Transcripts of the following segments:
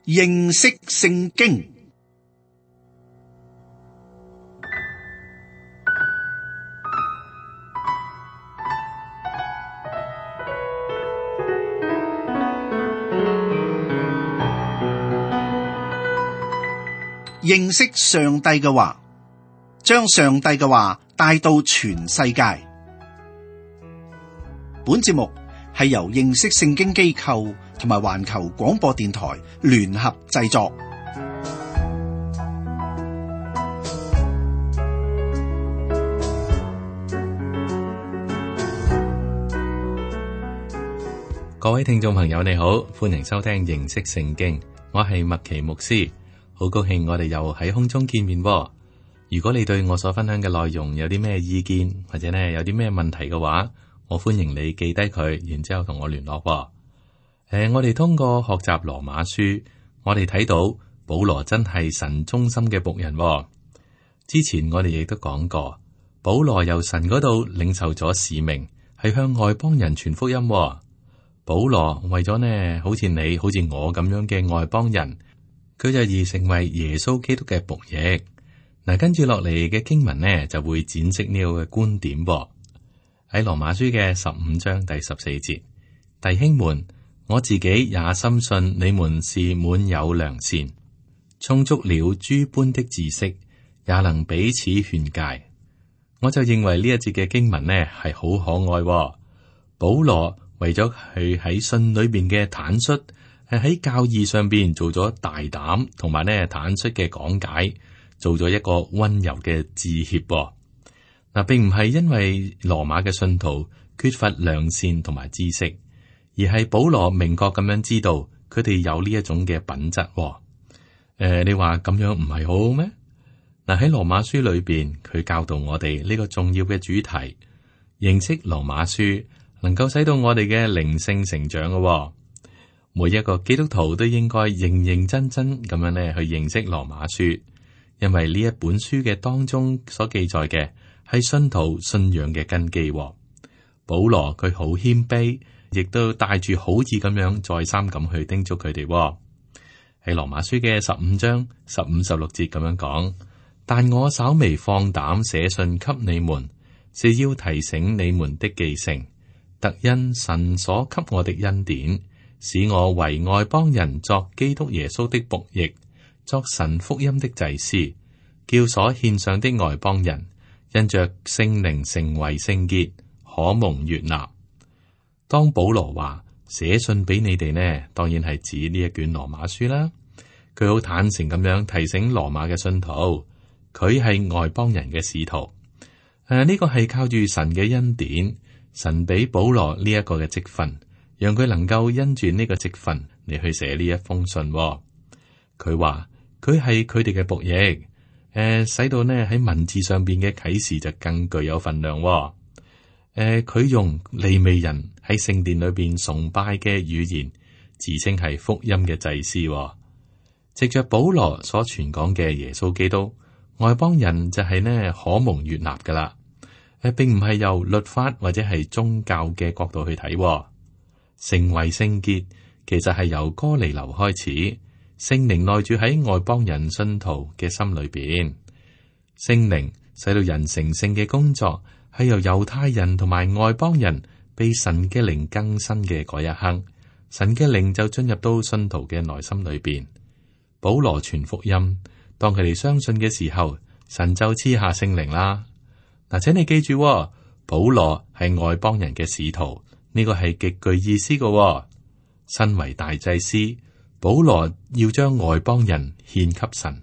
認識聖經。認識上帝嘅話，將上帝嘅話帶到全世界。本節目係由認識聖經機構同埋環球廣播電台聯合製作。各位聽眾朋友，你好，歡迎收聽認識聖經，我係麥奇牧師。好高興我哋又喺空中見面喎。如果你對我所分享嘅內容有啲咩意見，或者呢有啲咩問題嘅話，我歡迎你記低佢，然之後同我聯絡喎。我哋通過學習羅馬書，我哋睇到保羅真係神忠心嘅僕人喎。之前我哋亦都講過，保羅由神嗰度領受咗使命，係向外邦人傳福音喎。保羅為咗呢，好似你好似我咁樣嘅外邦人，佢就而成為耶穌基督嘅僕役。嗱，跟住落嚟嘅經文呢，就會展示呢個嘅觀點噃。喺羅馬書嘅15章第14節，弟兄們，我自己也深信你們是滿有良善，充足了諸般的知識，也能彼此勸誡。我就認為呢一節嘅經文呢係好可愛喎。保羅為咗佢喺信裏邊嘅坦率，係喺教義上邊做咗大膽同埋呢坦率嘅講解，做咗一個溫柔嘅致歉。嗱，並唔係因為羅馬嘅信徒缺乏良善同埋知識，而係保羅明確咁樣知道佢哋有呢一種嘅品質。你話咁樣唔係好好咩？嗱，喺羅馬書裏邊，佢教導我哋呢個重要嘅主題，認識羅馬書能夠使到我哋嘅靈性成長嘅。每一個基督徒都應該認認真真咁樣咧去認識羅馬書，因為呢一本書嘅當中所記載嘅係信徒信仰嘅根基。保羅佢好謙卑，亦都帶住好意咁樣再三咁去叮囑佢哋。喺羅馬書嘅15章15、16節咁樣講，但我稍微放膽寫信給你們，是要提醒你們的記性，特因神所給我的恩典，使我為外邦人作基督耶穌的僕役，作神福音的祭司，叫所獻上的外邦人因着聖靈成為聖潔，可蒙悅納。當保羅話寫信俾你哋呢，當然係指呢一卷羅馬書啦。佢好坦誠咁樣提醒羅馬嘅信徒，佢係外邦人嘅使徒。呢個係靠住神嘅恩典，神俾保羅呢一個嘅職分，讓佢能夠因住呢個職分嚟去寫呢一封信。佢話佢係佢哋嘅僕役，使到呢喺文字上邊嘅啟示就更具有分量。佢用利未人喺聖殿裏邊崇拜嘅語言，自稱係福音嘅祭司。藉着保羅所傳講嘅耶穌基督，外邦人就係呢可蒙悅納噶啦。並唔係由律法或者係宗教嘅角度去睇。成為聖潔其實係由哥尼流開始，聖靈內住喺外邦人信徒嘅心裏邊。聖靈使到人成聖嘅工作係由猶太人同埋外邦人被神嘅靈更新嘅嗰一刻，神嘅靈就進入到信徒嘅內心裏邊。保羅傳福音，當佢哋相信嘅時候，神就賜下聖靈啦。嗱，請你記住，保羅係外邦人嘅使徒，呢個係極具意思嘅。身為大祭司，保羅要將外邦人獻給神。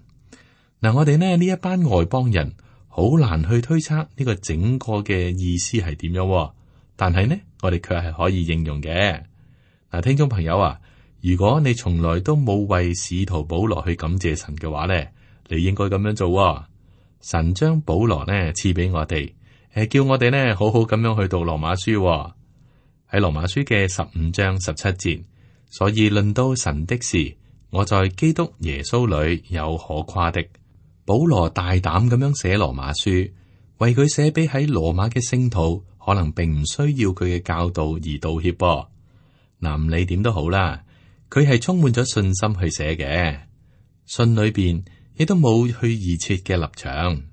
嗱，我哋呢一班外邦人好難去推測呢個整個嘅意思係點樣，但係呢，我哋卻係可以應用嘅。嗱，聽眾朋友啊，如果你從來都冇為使徒保羅去感謝神嘅話呢，你應該咁樣做。神將保羅呢賜俾我哋，叫我哋呢好好咁樣去讀羅馬書。喺羅馬書嘅15章17節，所以論到神的事，我在基督耶穌裏有可誇的。保羅大膽咁樣寫羅馬書，為佢寫俾喺羅馬嘅聖徒，可能並唔需要佢嘅教導而道歉噃。嗱，唔理點都好啦，佢係充滿咗信心去寫嘅，信裏邊亦都冇去預設嘅立場。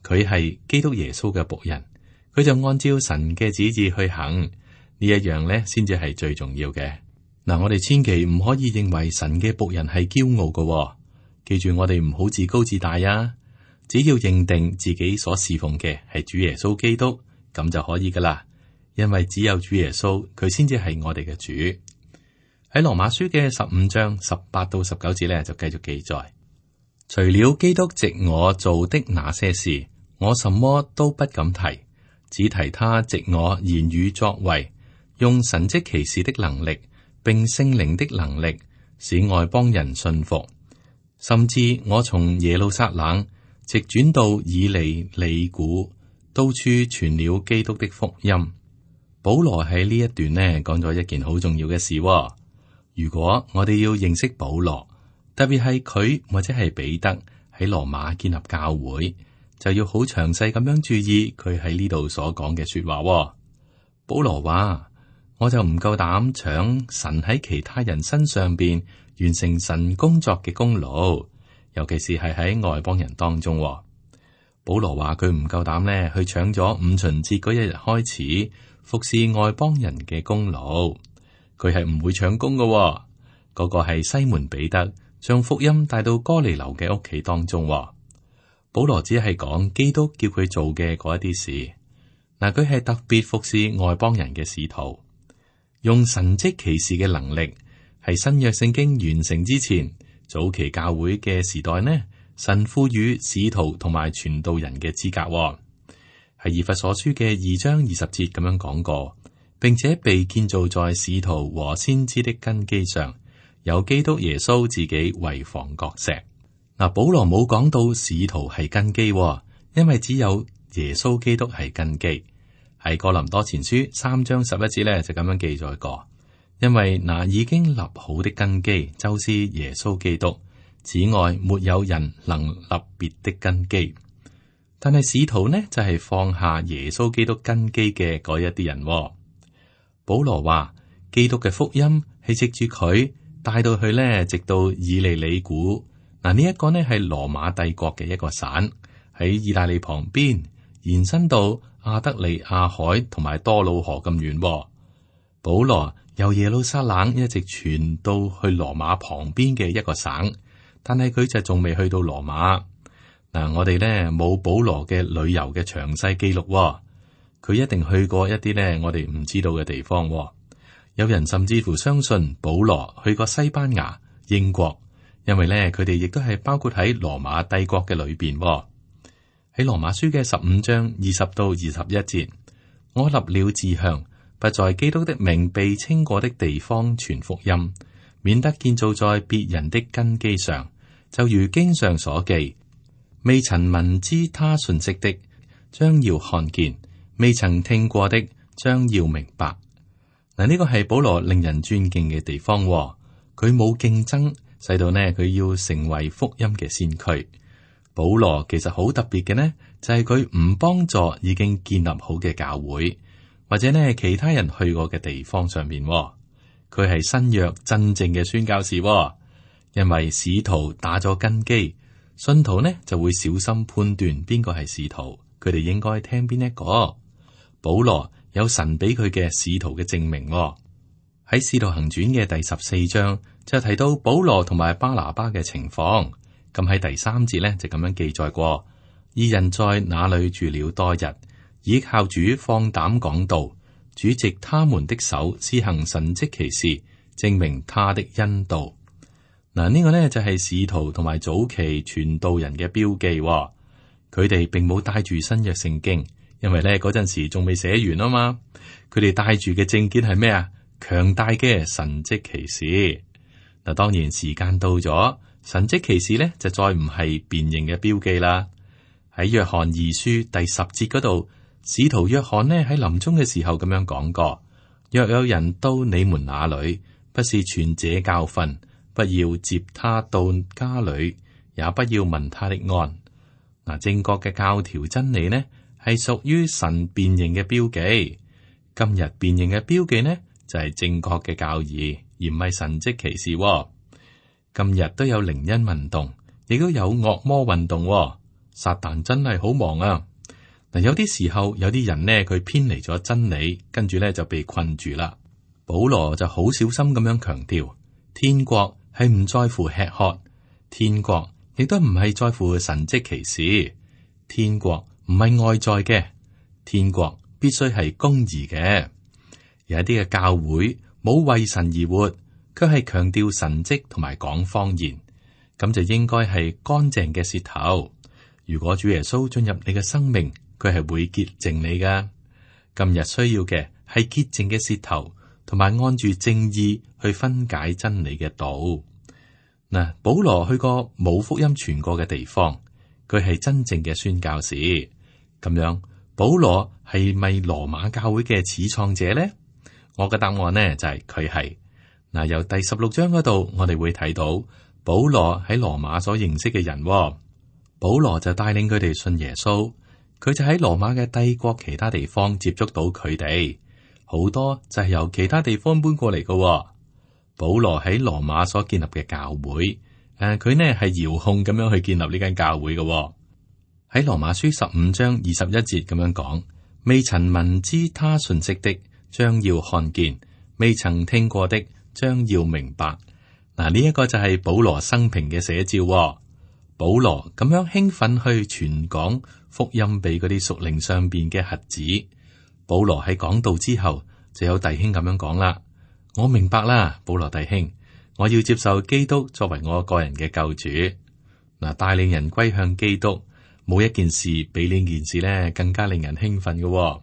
佢係基督耶穌嘅僕人，佢就按照神嘅旨意去行，呢一樣咧先至係最重要嘅。嗱，我哋千祈唔可以認為神嘅僕人係驕傲嘅。記住，我哋唔好自高自大啊！只要認定自己所侍奉嘅係主耶穌基督，咁就可以噶啦。因為只有主耶穌，佢先至係我哋嘅主。喺羅馬書嘅15章18到19節咧，就繼續記載：除了基督藉我做的那些事，我什麼都不敢提，只提他藉我言語作為，用神蹟奇事的能力，並聖靈的能力，使外邦人信服。甚至我從耶路撒冷直轉到以利里古，到處傳了基督的福音。保羅喺呢一段呢講咗一件好重要嘅事。如果我哋要認識保羅，特別係佢或者係彼得喺羅馬建立教會，就要好詳細咁樣注意佢喺呢度所講嘅說話。保羅話：我就唔夠膽搶神喺其他人身上邊完成神工作嘅功勞，尤其是係喺外邦人當中。保羅話佢唔夠膽咧去搶咗五旬節嗰一日開始服侍外邦人嘅功勞，佢係唔會搶功嘅。嗰個係西門彼得將福音帶到哥尼流嘅屋企當中。保羅只係講基督叫佢做嘅嗰一啲事。嗱，佢係特別服侍外邦人嘅使徒，用神蹟奇事嘅能力。係新約聖經完成之前，早期教會嘅時代呢，神賦予使徒同埋傳道人嘅資格。係以弗所書嘅2章20節咁樣講過，並且被建造在使徒和先知的根基上，有基督耶穌自己為房角石。嗱，保羅冇講到使徒係根基，因為只有耶穌基督係根基。喺哥林多前書3章11節咧就咁樣記載過。因為那已經立好的根基就是耶穌基督，此外沒有人能立別的根基。但係使徒呢就係放下耶穌基督根基嘅嗰一啲人。保羅話基督嘅福音係藉住佢帶到去呢，直到以利里古。嗱，呢一個呢係羅馬帝國嘅一個省，喺意大利旁邊，延伸到亞得里亞海同埋多瑙河咁遠。保羅由耶路撒冷一直傳到去羅馬旁邊嘅一個省，但係佢就仲未去到羅馬。嗱，我哋呢冇保羅嘅旅遊嘅詳細記錄，佢一定去過一啲呢我哋唔知道嘅地方。有人甚至乎相信保羅去過西班牙、英國，因為呢佢哋亦都係包括喺羅馬帝國嘅裏邊。喺羅馬書嘅15章20到21節，我立了志向，不在基督的名被稱過的地方傳福音，免得建造在別人的根基上。就如經上所記，未曾聞知他信息的，將要看見；未曾聽過的，將要明白。嗱，呢個係保羅令人尊敬嘅地方。佢冇競爭，使到呢佢要成為福音嘅先驅。保羅其實好特別嘅呢，就係佢唔幫助已經建立好嘅教會，或者呢其他人去過嘅地方上面。佢係新約真正嘅宣教士，因為使徒打咗根基，信徒呢就會小心判斷邊個係使徒，佢哋應該聽邊一個。保羅有神俾佢嘅使徒嘅證明。喺使徒行傳嘅第14章就提到保羅同埋巴拿巴嘅情況。咁喺第3節呢，就咁樣記載過：二人在那裏住了多日，倚靠主放膽講道，主藉他們的手施行神蹟奇事，證明他的恩道。嗱，呢個呢就係使徒同埋早期傳道人嘅標記。佢哋並冇帶住新約聖經，因為呢嗰陣時仲未寫完啊嘛。佢哋帶住嘅證件係咩啊？強大嘅神蹟奇事。嗱，當然時間到咗，神蹟奇事呢就再唔係辨認嘅標記啦。喺約翰二書第10節嗰度，使徒約翰呢喺臨終嘅時候咁樣講過：若有人到你們那裏，不是傳這教訓，不要接他到家裏，也不要問他的安。嗱，正確嘅教條真理呢係屬於神辨認嘅標記。今日辨認嘅標記呢就係正確嘅教義，而唔係神蹟奇事喎。今日都有靈恩運動，亦都有惡魔運動喎。撒旦真係好忙啊！嗱，有啲時候有啲人呢，佢偏離咗真理，跟住呢就被困住啦。保羅就好小心咁樣強調，天國係唔在乎吃喝，天國亦都唔係在乎神蹟奇事，天國唔係外在嘅，天國必須係公義嘅。有一啲嘅教會冇為神而活，卻係強調神蹟同埋講方言，咁就應該係乾淨嘅舌頭。如果主耶穌進入你嘅生命，佢係會潔淨你噶。今日需要嘅係潔淨嘅舌頭，同埋按住正義去分解真理嘅道。嗱，保羅去過冇福音傳過嘅地方，佢係真正嘅宣教士。咁樣，保羅係咪羅馬教會嘅始創者呢？我嘅答案呢就係佢係。嗱，由第16章嗰度，我哋會睇到保羅喺羅馬所認識嘅人。保羅就帶領佢哋信耶穌，佢就喺羅馬嘅帝國其他地方接觸到佢哋，好多就係由其他地方搬過嚟嘅。保羅喺羅馬所建立嘅教會，佢呢係遙控咁樣去建立呢間教會嘅。喺羅馬書15章21節咁樣講，未曾聞知他信息的，將要看見；未曾聽過的，將要明白。嗱，呢一個就係保羅生平嘅寫照。保羅咁樣興奮去傳講福音俾嗰啲屬靈上邊嘅瞎子。保羅喺講道之後，就有弟兄咁樣講啦：我明白啦，保羅弟兄，我要接受基督作為我個人嘅救主。嗱，帶領人歸向基督，冇一件事比呢件事呢更加令人興奮嘅。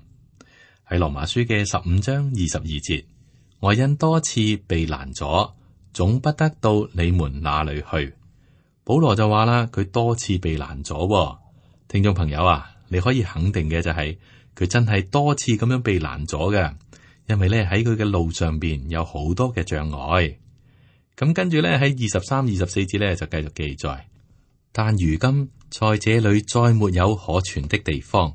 喺羅馬書嘅15章22節，我因多次被攔阻，總不得到你們那裏去。保羅就話啦，佢多次被攔阻。聽眾朋友啊，你可以肯定嘅就係佢真係多次咁樣被攔阻嘅，因為咧喺佢嘅路上邊有好多嘅障礙。咁跟住咧喺23、24節咧就繼續記載，但如今在這裏再沒有可傳的地方，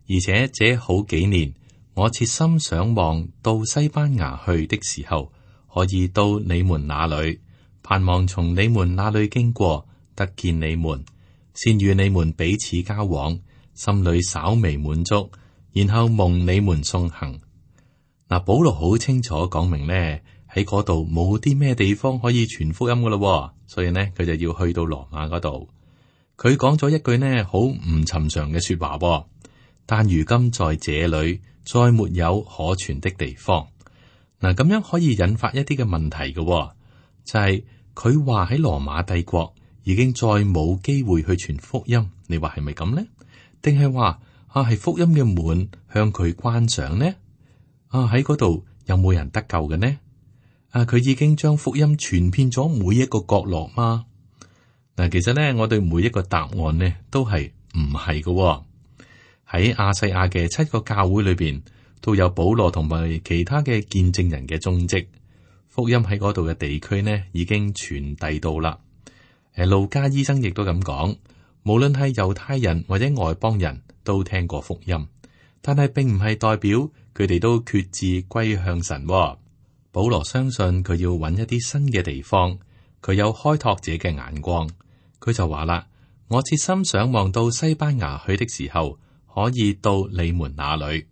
而且這好幾年我切心想望到西班牙去的時候，可以到你們那裏，盼望從你們那裏經過，得見你們，先與你們彼此交往，心裏稍微滿足，然後蒙你們送行。嗱，保羅好清楚講明呢，喺嗰度冇啲咩地方可以傳福音噶咯，所以呢，佢就要去到羅馬嗰度。佢講咗一句呢好唔尋常嘅說話，但如今在這裏再沒有可傳的地方。嗱，咁樣可以引發一啲嘅問題嘅，就係佢話喺羅馬帝國已經再冇機會去傳福音，你話係咪咁呢？定係話係福音嘅門向佢關上呢？喺嗰度有冇人得救嘅呢？佢已經將福音傳遍咗每一個角落嗎？嗱，其實呢，我對每一個答案呢都係唔係嘅。喺亞細亞嘅7個教會裏邊，都有保羅同埋其他嘅見證人嘅蹤跡。福音喺嗰度嘅地區呢，已經傳遞到啦。路加醫生亦都咁講，無論係猶太人或者外邦人都聽過福音，但係並唔係代表佢哋都決志歸向神。保羅相信佢要揾一啲新嘅地方，佢有開拓者嘅眼光。佢就話啦：我切心想望到西班牙去的時候，可以到你們那裏。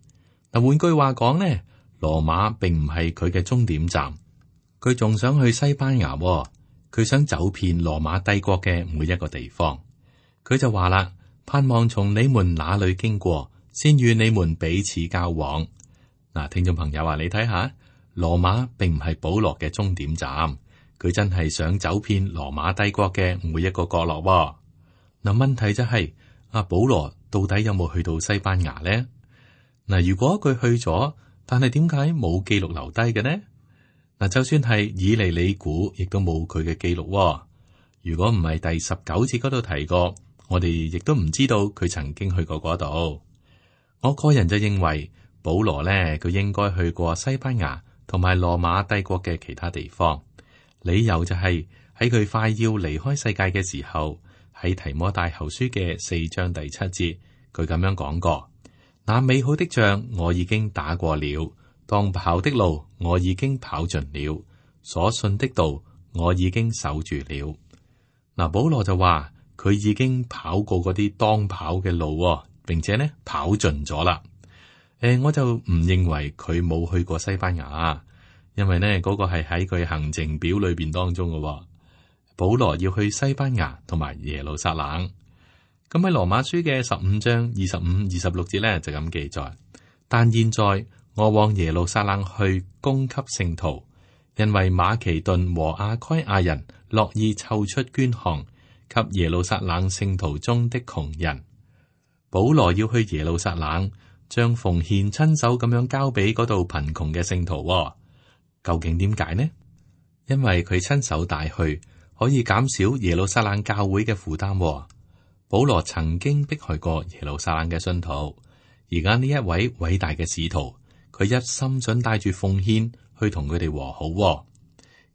嗱，換句話講呢，羅馬並唔係佢嘅終點站，佢仲想去西班牙。佢想走遍羅馬帝國嘅每一個地方。佢就話啦：盼望從你們那裏經過，先與你們彼此交往。嗱，聽眾朋友啊，你睇下，羅馬並唔係保羅嘅終點站，佢真係想走遍羅馬帝國嘅每一個角落。嗱，問題就係保羅到底有冇去到西班牙呢？嗱，如果佢去咗，但係點解冇記錄留低嘅呢？嗱，就算係以利里古，亦都冇佢嘅記錄。如果唔係第19節嗰度提過，我哋亦都唔知道佢曾經去過嗰度。我個人就認為保羅呢，佢應該去過西班牙同埋羅馬帝國嘅其他地方。理由就係喺佢快要離開世界嘅時候，喺提摩太後書嘅4章第7節，佢咁樣講過：那美好的仗我已經打過了。當跑的路我已經跑盡了，所信的道，我已經守住了。嗱，保羅就話佢已經跑過嗰啲當跑嘅路，並且呢跑盡咗啦。我就唔認為佢冇去過西班牙，因為呢嗰個係喺佢行程表裏邊當中嘅。保羅要去西班牙同埋耶路撒冷。咁喺羅馬書嘅15章25、26節呢，就咁記載。但現在我往耶路撒冷去供給聖徒，因為馬其頓和亞該亞人樂意湊出捐項給耶路撒冷聖徒中的窮人。保羅要去耶路撒冷，將奉獻親手咁樣交俾嗰度貧窮嘅聖徒。究竟點解呢？因為佢親手帶去，可以減少耶路撒冷教會嘅負擔。保羅曾經迫害過耶路撒冷嘅信徒，而家呢一位偉大嘅使徒，佢一心想帶住奉獻去同佢哋和好。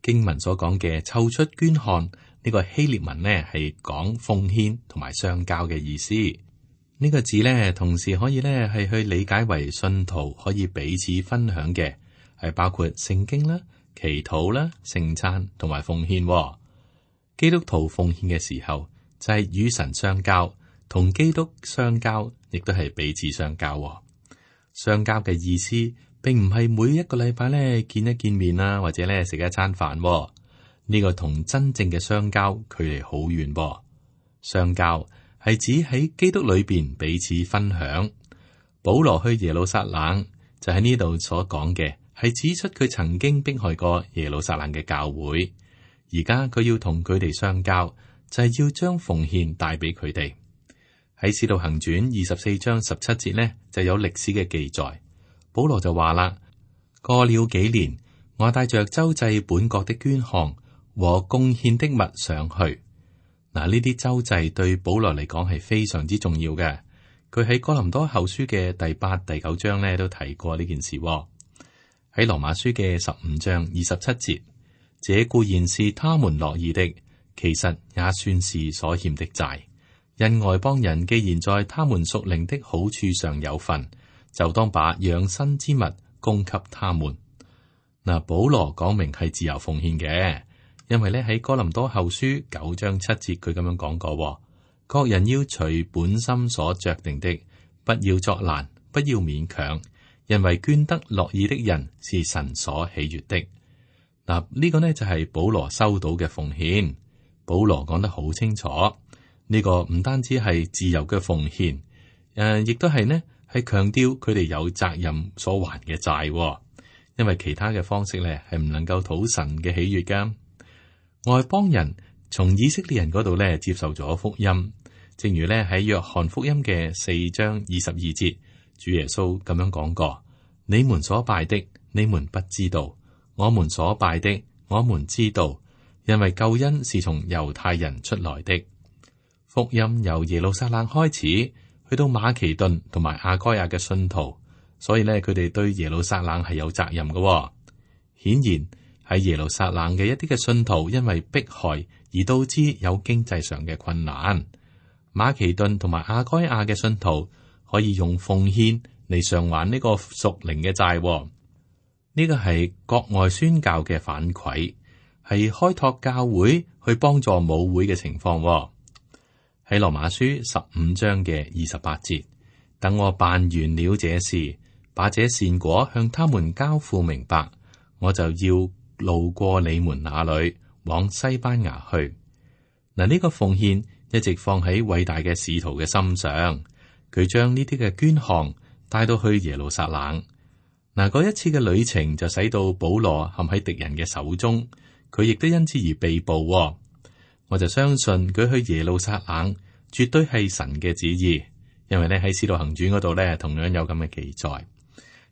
經文所講嘅湊出捐項呢個希臘文呢，係講奉獻同埋相交嘅意思。呢個字呢，同時可以呢係去理解為信徒可以彼此分享嘅，係包括聖經啦、祈禱啦、聖餐同埋奉獻。基督徒奉獻嘅時候，就係與神相交，同基督相交，亦都係彼此相交。相交嘅意思，並唔係每一個禮拜咧見一見面啊，或者咧食一餐飯。呢個同真正嘅相交距離好遠噃。相交係指喺基督裏邊彼此分享。保羅去耶路撒冷，就喺呢度所講嘅，係指出佢曾經迫害過耶路撒冷嘅教會，而家佢要同佢哋相交。就係要將奉獻帶俾佢哋。喺使徒行傳24章17節呢，就有歷史嘅記載。保羅就話啦：過了幾年，我帶着周濟本國的捐項和貢獻的物上去。嗱，呢啲周濟對保羅嚟講係非常之重要嘅。佢喺哥林多後書嘅第8、第9章呢都提過呢件事。喺羅馬書嘅15章27節，這固然是他們樂意的。其實也算是所欠的債，因外邦人既然在他們屬靈的好處上有份，就當把養生之物供給他們。嗱，保羅講明係自由奉獻嘅，因為咧喺哥林多後書9章7節佢咁樣講過：各人要隨本心所酌定的，不要作難，不要勉強，因為捐得樂意的人是神所喜悅的。嗱，呢個呢就係保羅收到嘅奉獻。保羅講得好清楚，呢個唔單止係自由嘅奉獻，亦都係呢係強調佢哋有責任所還嘅債，因為其他嘅方式咧係唔能夠討神嘅喜悅噶。外邦人從以色列人嗰度咧接受咗福音，正如咧喺約翰福音嘅4章22節，主耶穌咁樣講過：你們所拜的，你們不知道；我們所拜的，我們知道。因為救恩是從猶太人出來的。福音由耶路撒冷開始，去到馬其頓同埋亞該亞嘅信徒，所以咧佢哋對耶路撒冷係有責任嘅。顯然喺耶路撒冷嘅一啲嘅信徒，因為迫害而導致有經濟上嘅困難。馬其頓同埋亞該亞嘅信徒可以用奉獻嚟償還呢個屬靈嘅債。呢個係國外宣教嘅反饋。係開拓教會去幫助母會嘅情況。喺羅馬書15章嘅28節，等我辦完了這事，把這善果向他們交付明白，我就要路過你們那裏，往西班牙去。嗱，呢個奉獻一直放喺偉大嘅使徒嘅心上，佢將呢啲嘅捐項帶到去耶路撒冷。嗱，嗰一次嘅旅程就使到保羅陷喺敵人嘅手中。佢亦都因此而被捕。我就相信佢去耶路撒冷絕對係神嘅旨意，因為咧喺使徒行傳嗰度咧同樣有咁嘅記載。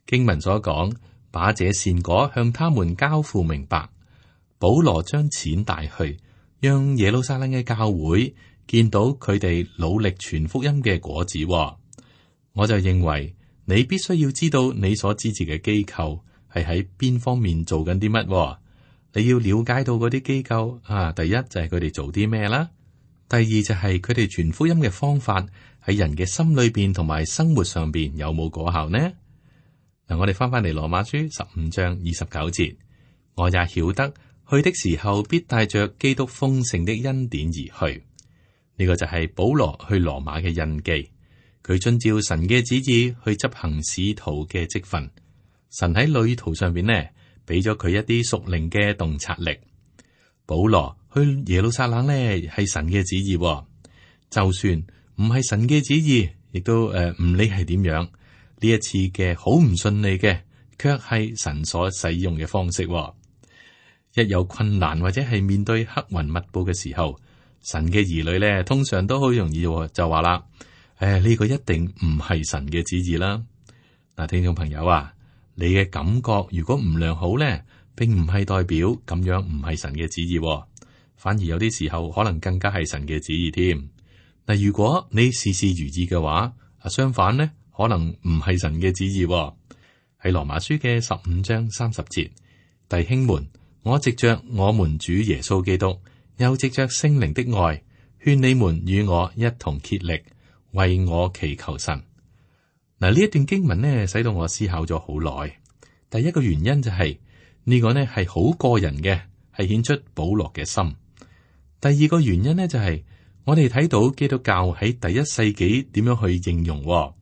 經文所講，把這善果向他們交付明白。保羅將錢帶去，讓耶路撒冷嘅教會見到佢哋努力傳福音嘅果子。我就認為你必須要知道你所支持嘅機構係喺邊方面做緊啲乜。你要了解到嗰啲機構第一就係佢哋做啲咩啦，第二就係佢哋傳福音嘅方法喺人嘅心裏邊同埋生活上邊有冇果效呢？嗱，我哋翻嚟羅馬書15章29節，我也曉得去的時候必帶着基督豐盛的恩典而去。呢個就係保羅去羅馬嘅印記。佢遵照神嘅旨意去執行使徒嘅職分。神喺旅途上邊呢，俾咗佢一啲屬靈嘅洞察力。保羅去耶路撒冷呢，係神嘅旨意。就算唔係神嘅旨意，亦都唔理係點樣，呢一次嘅好唔順利嘅，卻係神所使用嘅方式。一有困難或者係面對黑雲密布嘅時候，神嘅兒女咧，通常都好容易就話啦，呢個一定唔係神嘅旨意啦。嗱，聽眾朋友啊，你嘅感覺如果唔良好咧，並唔係代表咁樣唔係神嘅旨意，反而有啲時候可能更加係神嘅旨意添。嗱，如果你事事如意嘅話，相反呢，可能唔係神嘅旨意。喺羅馬書嘅15章30節，弟兄們，我藉着我們主耶穌基督，又藉着聖靈的愛，勸你們與我一同竭力，為我祈求神。嗱，呢一段經文呢，使到我思考咗好耐。第一個原因就係呢個呢係好個人嘅，係顯出保羅嘅心。第二個原因呢，就係我哋睇到基督教喺第一世紀點樣去應用。嗱，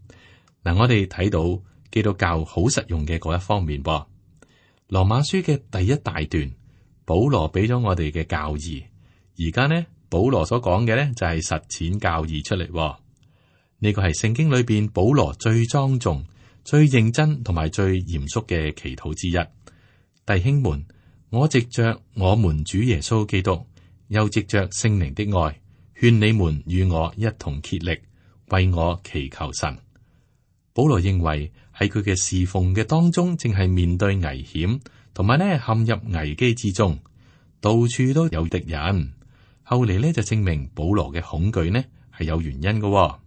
我哋睇到基督教好實用嘅嗰一方面。羅馬書嘅第一大段，保羅俾咗我哋嘅教義。而家呢，保羅所講嘅呢，就係實踐教義出嚟。呢個係聖經裏邊保羅最莊重、最認真同埋最嚴肅嘅祈禱之一。弟兄們，我藉着我們主耶穌基督，又藉着聖靈的愛，勸你們與我一同竭力，為我祈求神。保羅認為喺佢嘅侍奉嘅當中，正係面對危險，同埋呢陷入危機之中，到處都有敵人。後嚟呢就證明保羅嘅恐懼呢係有原因嘅。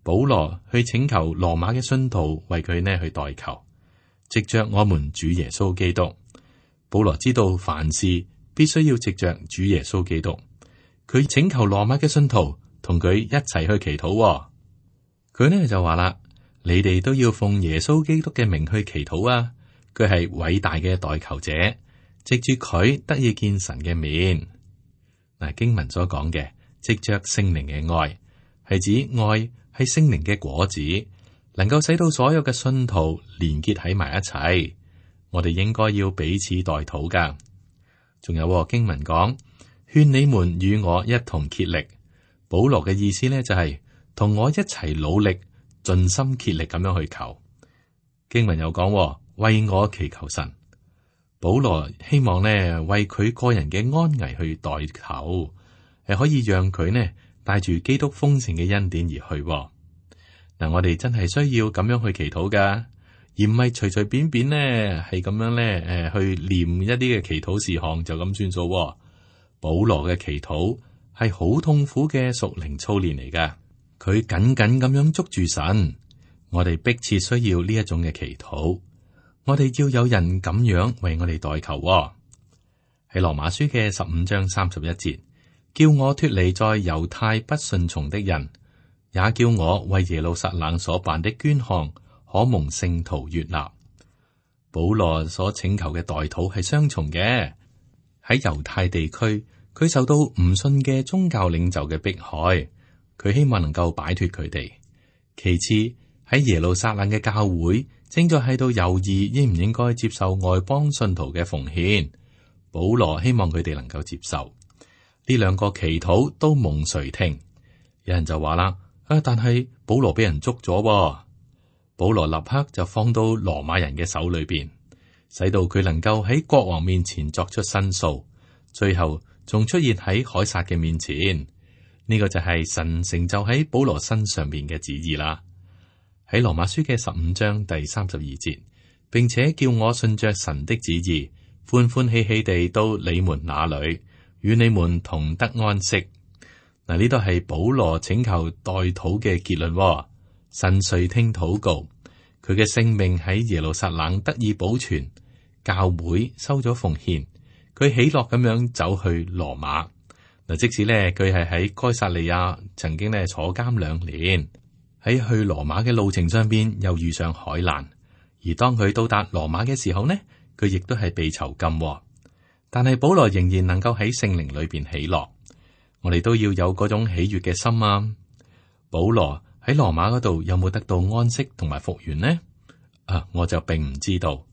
保羅去請求羅馬嘅信徒為佢呢去代求，藉着我們主耶穌基督。保羅知道凡事必須要藉着主耶穌基督，佢請求羅馬嘅信徒同佢一齊去祈禱。佢呢就話啦，你哋都要奉耶穌基督嘅名去祈禱啊！佢係偉大嘅代求者，藉住佢得以見神嘅面。嗱，經文所講嘅藉着聖靈嘅愛，係指愛係聖靈嘅果子，能夠使到所有嘅信徒連結喺埋一齊。我哋應該要彼此代禱噶。仲有經文講，勸你們與我一同竭力。保羅嘅意思呢，就係同我一齊努力，盡心竭力咁樣去求。經文又講，為我祈求神。保羅希望呢為佢個人嘅安危去代求，可以讓佢呢帶住基督豐盛嘅恩典而去。嗱，我哋真係需要咁樣去祈禱噶，而唔係隨隨便便呢係咁樣呢去念一啲嘅祈禱事項就咁算數。保羅嘅祈禱係好痛苦嘅屬靈操練嚟噶，佢緊緊咁樣捉住神。我哋迫切需要呢一種嘅祈禱。我哋要有人咁樣為我哋代求。喺羅馬書嘅15章31節，叫我脫離在猶太不順從的人，也叫我為耶路撒冷所辦的捐項可蒙聖徒悅納。保羅所請求嘅代禱係雙重嘅。喺猶太地區，佢受到唔信嘅宗教領袖嘅迫害，佢希望能夠擺脫佢哋。其次，喺耶路撒冷嘅教會正在喺度猶豫應唔應該接受外邦信徒嘅奉獻。保羅希望佢哋能夠接受。呢兩個祈禱都蒙垂聽。有人就話啦，但係保羅俾人捉咗。保羅立刻就放到羅馬人嘅手裏邊，使到佢能夠喺國王面前作出申訴，最後仲出現喺凱撒嘅面前。呢個就係神成就喺保羅身上邊嘅旨意啦。喺羅馬書嘅15章第32節，並且叫我順着神的旨意，歡歡喜喜地到你們那裏，與你們同得安息。嗱，呢度係保羅請求代禱嘅結論。神垂聽禱告，佢嘅性命喺耶路撒冷得以保存，教會收咗奉獻，佢喜樂咁樣走去羅馬。嗱，即使呢，佢係喺該撒利亞曾經呢坐監2年。喺去羅馬嘅路程上邊又遇上海難，而當佢到達羅馬嘅時候呢，佢亦都係被囚禁。但係保羅仍然能夠喺聖靈裏邊喜樂。我哋都要有嗰種喜悅嘅心啊！保羅喺羅馬嗰度有冇得到安息同埋復原呢？我就並唔知道。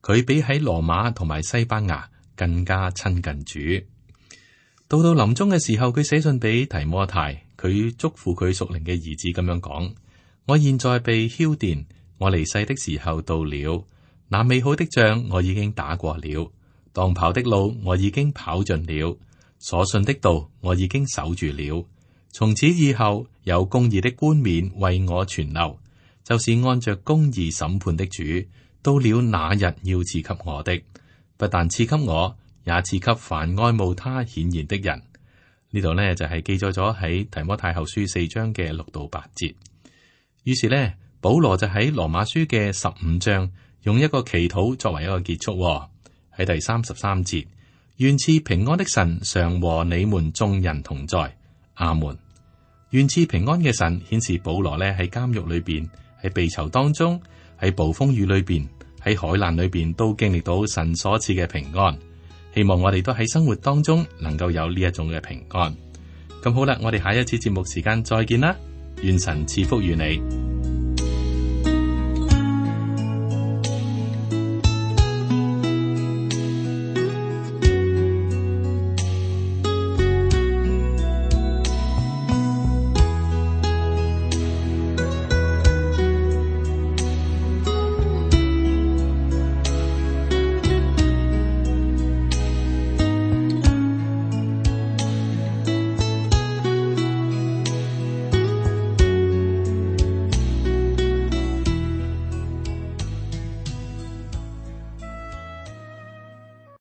佢比喺羅馬同埋西班牙更加親近主。到臨終嘅時候，佢寫信俾提摩太，佢囑咐佢屬靈嘅兒子咁樣講：我現在被澆奠，我離世的時候到了。那美好的仗我已經打過了，當跑的路我已經跑盡了，所信的道我已經守住了。從此以後，有公義的冠冕為我存留，就是按着公義審判的主，到了那日要賜給我的，不但賜給我，也賜給凡愛慕他顯現的人。呢度呢，就係記載咗喺提摩太後書4章嘅6到8節。於是呢，保羅就喺羅馬書嘅15章用一個祈禱作為一個結束。喺第33節，願賜平安的神常和你們眾人同在。阿門。願賜平安嘅神顯示保羅呢喺監獄裏邊，喺被囚當中，喺暴風雨裏邊，喺海難裏邊都經歷到神所賜嘅平安。希望我哋都喺生活當中能夠有呢一種嘅平安。咁好啦，我哋下一次節目時間再見啦，願神賜福於你。